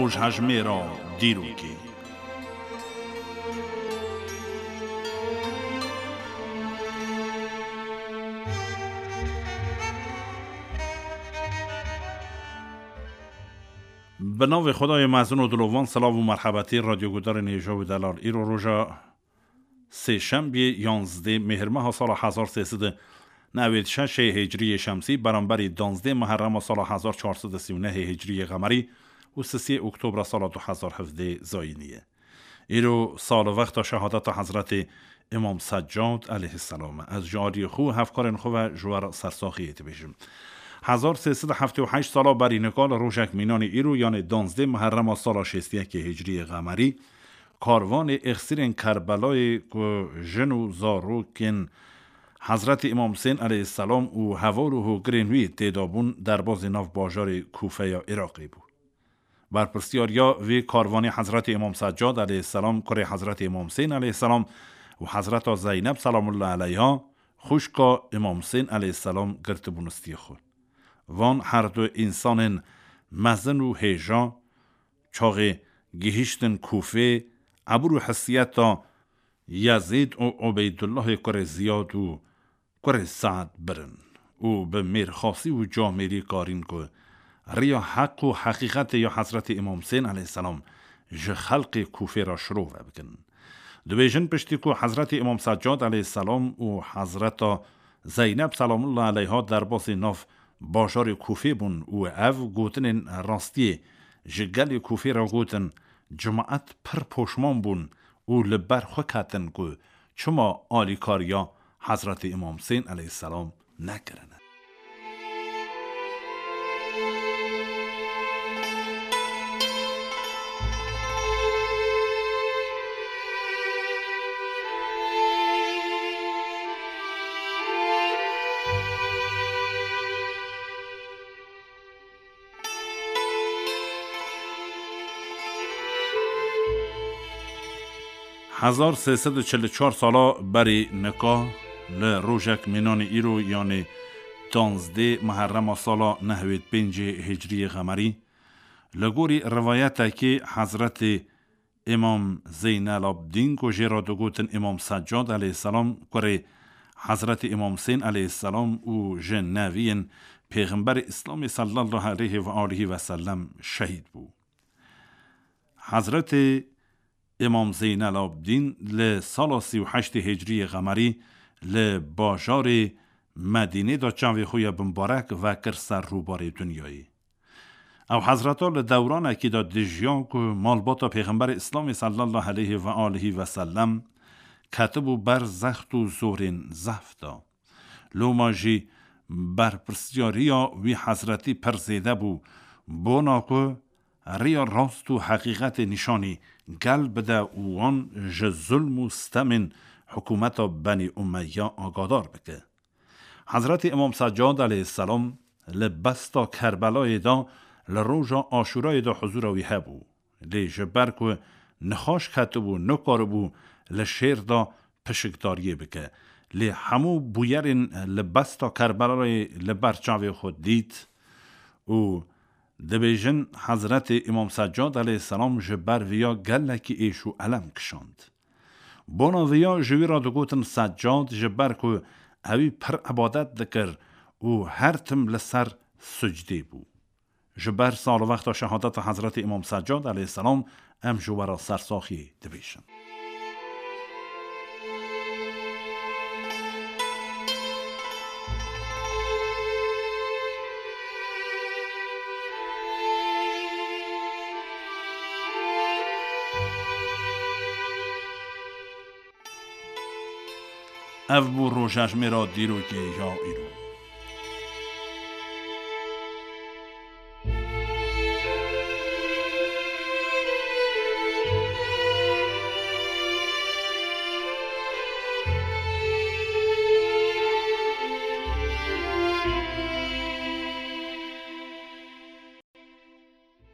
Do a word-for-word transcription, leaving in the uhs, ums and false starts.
Rojhejmêra dîrokê. Bi navê Xwedayê mezin û dilovan, silav û merhebetî radyogudarên hêja û delal. Îro roja sêşembiyê yanzdê mêhirmeha sala hezar sê sed û newêd şeş ê hicriyê şemsî, beramberî danzdê meherrema sala hezar çar sed û sî û neh ê hicriyê qemerî û sisê oktobra sala du hezar hevdê zayînî ye. Îro salvexta şehadeta Hezretê Îmam Seccad aleyhisselam e. Ez ji aliyê xwe û hevkarên xwe ve ji we re sersaxiyê dibêjim. Hezar sê sed û heftê û heşt sala berî nika li rojek mînanî îro, yanê danzdê meherrema sala şêst û yekê hicriyê qemerî, karvanê êxsîrên Kerbelayê ku jin û zarokên Hezretî Îmam Husên aleyhisselam û heval û hogirên wî tê de bûn, derbazî nav bajarê Kûfeya Iraqê bû. Berpirsyariya vê karvanê Hezretî Îmam Seccad aleyhisselam, kurê Hezretî Îmam Husên aleyhisselam û Hezreta Zeyneb selamullah aleyha, xwişka Îmam Husên aleyhisselam, girtibûn stiyê xwe. Van her du însanên mezin û hêja çaxê gihîştin Kûfê, ebir û hesiyeta Yezîd û Ubeydullahê kurê Ziyad û kurê Se'd birin û bi mêrxasî û camêrî karîn ku riya heq û heqîqetê ya Hezretî Îmam Husên aleyhisselam ji xelqê Kûfê re şirove bikin. Dibêjin, piştî ku Hezretî Îmam Seccad aleyhisselam û Hezreta Zeyneb selamullah aleyha derbasî nav bajarê Kûfê bûn û ev gotinên rastiyê ji gelê Kûfê re gotin, cimaet pir poşman bûn û li ber xwe ketin ku çima alîkariya Hezretî Îmam Husên aleyhisselam nekirine. Hezar sê sed û çil û çar sala berî nika, li rojek mînanî îro, yanê danzdê meherrema sala nehwêd pêncê hicriyê qemerî, li gorî rivayetekê Hezretê Îmam Zeynelabdîn ku jê re digotin Îmam Seccad aleyhisselam, kurê Hezretî Îmam Husên aleyhisselam û ji neviyên Pêxemberê Îslamê sallallahu aleyhi ve aleyhi ve sellem şehîd bû. Hezretê Îmam Zeynelabdîn li sala sî û heştê hicriyê qemerî li bajarê Medînê de çavê xwe ya bimbarek vekir ser rûbarê dinyayê. Ew hezreta li dewranekî de dijiya ku malbata Pêxemberê Îslamê sallallahu aleyhi ve aleyhi ve sellem ketibû ber zext û zorên zehf de. Loma jî berpirsyariya wî hezretî pir zêde bû, bona ku riya rast û heqîqetê nîşanî gel bide û wan ji zulm û stemên hikûmeta Benî Umeyya agadar bike. Hezretî Îmam Seccad aleyhisselam li besta Kerbelayê de li roja Aşûrayê de huzûra wî hebû. Lê ji ber ku nixweş ketibû, nikaribû li şêr de pişikdariyê bike. Lê hemû bûyerên li besta Kerbelayê li ber çavê xwe dît û dibêjin, Hezretê Îmam Seccad aleyhisselam ji ber viya gelekî êş û elem kişand. Bona viya ji wî re digotin Seccad, ji ber ku ewî pir ebadet dikir û her tim li ser sucdê bû. Ji ber salwexta şehadeta Hezretî Îmam Seccad aleyhisselam em ji we re sersaxî dibêjin. Ev bû rojejmêra dîrokê ya îro.